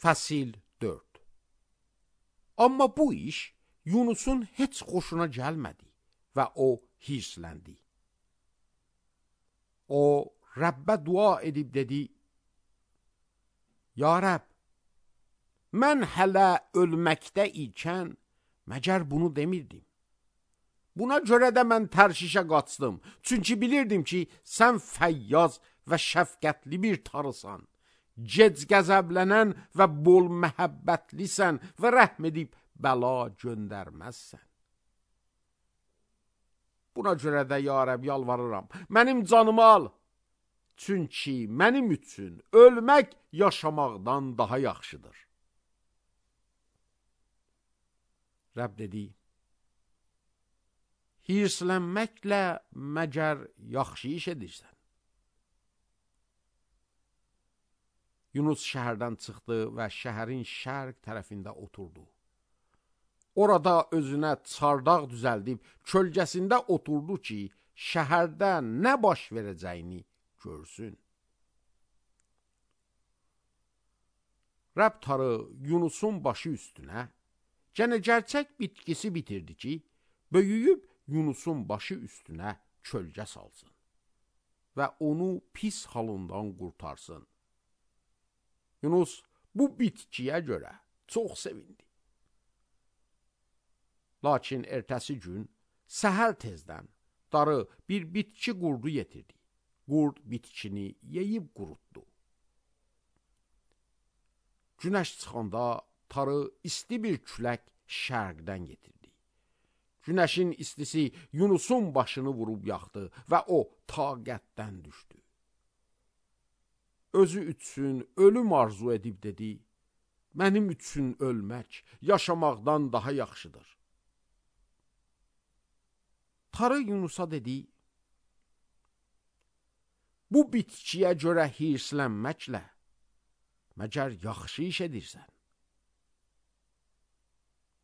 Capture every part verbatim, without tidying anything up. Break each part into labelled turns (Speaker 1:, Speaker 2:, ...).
Speaker 1: Fəsil dörd. Amma bu iş Yunusun heç xoşuna gəlmədi və o hirsləndi. O, Rəbbə dua edib dedi, Ya Rəbb, mən hələ ölməkdə ikən məgər bunu demirdim. Buna görə də mən Tərşişə qaçdım, çünki bilirdim ki, sən fəyyaz və şəfqətli bir tarısan, gec qəzəblənən və bol məhəbbətlisən və rəhm edib bəla göndərməzsən. Buna görə də ya Rəbb yalvarıram, mənim canımı al, çünki mənim üçün ölmək yaşamaqdan daha yaxşıdır. Rəbb dedi, hirslənməklə məgər yaxşı iş edirsən? Yunus şəhərdən çıxdı və şəhərin şərq tərəfində oturdu. Orada özünə çardaq düzəldib kölgəsində oturdu ki, şəhərdə nə baş verəcəyini görsün. Rəbb tarı Yunusun başı üstünə gənə gerçək bitkisi bitirdi ki, böyüyüb Yunusun başı üstünə kölgə salsın və onu pis halından qurtarsın. Yunus bu bitkiyə görə çox sevindi. Lakin ertəsi gün səhər tezdən darı bir bitki qurdu yetirdi. Qurd bitkini yeyib qurutdu. Günəş çıxanda tarı isti bir külək şərqdən getirdi. Günəşin istisi Yunusun başını vurub yaxdı və o taqətdən düşdü. Özü üçün ölüm arzu edib dedi, mənim üçün ölmək yaşamaqdan daha yaxşıdır. Tarı Yunusa dedi, bu bitkiyə görə hirslənməklə məgər yaxşı iş edirsən?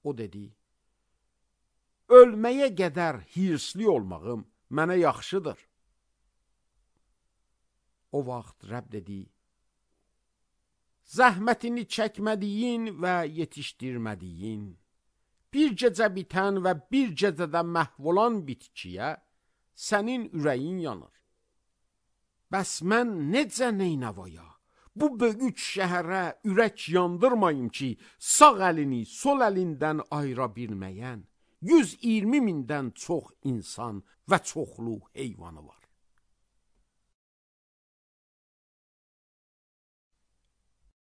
Speaker 1: O dedi, ölməyə qədər hirsli olmağım mənə yaxşıdır. O vaxt Rəbb dedi, zəhmətini çəkmədiyin və yetişdirmədiyin, bir gecə bitən və bir gecədə məhv olan bitkiyə sənin ürəyin yanır. Bəs mən necə neynəvaya, bu böyük şəhərə ürək yandırmayım ki, sağ əlini sol əlindən ayıra bilməyən yüz iyirmi mindən çox insan və çoxlu heyvanı var.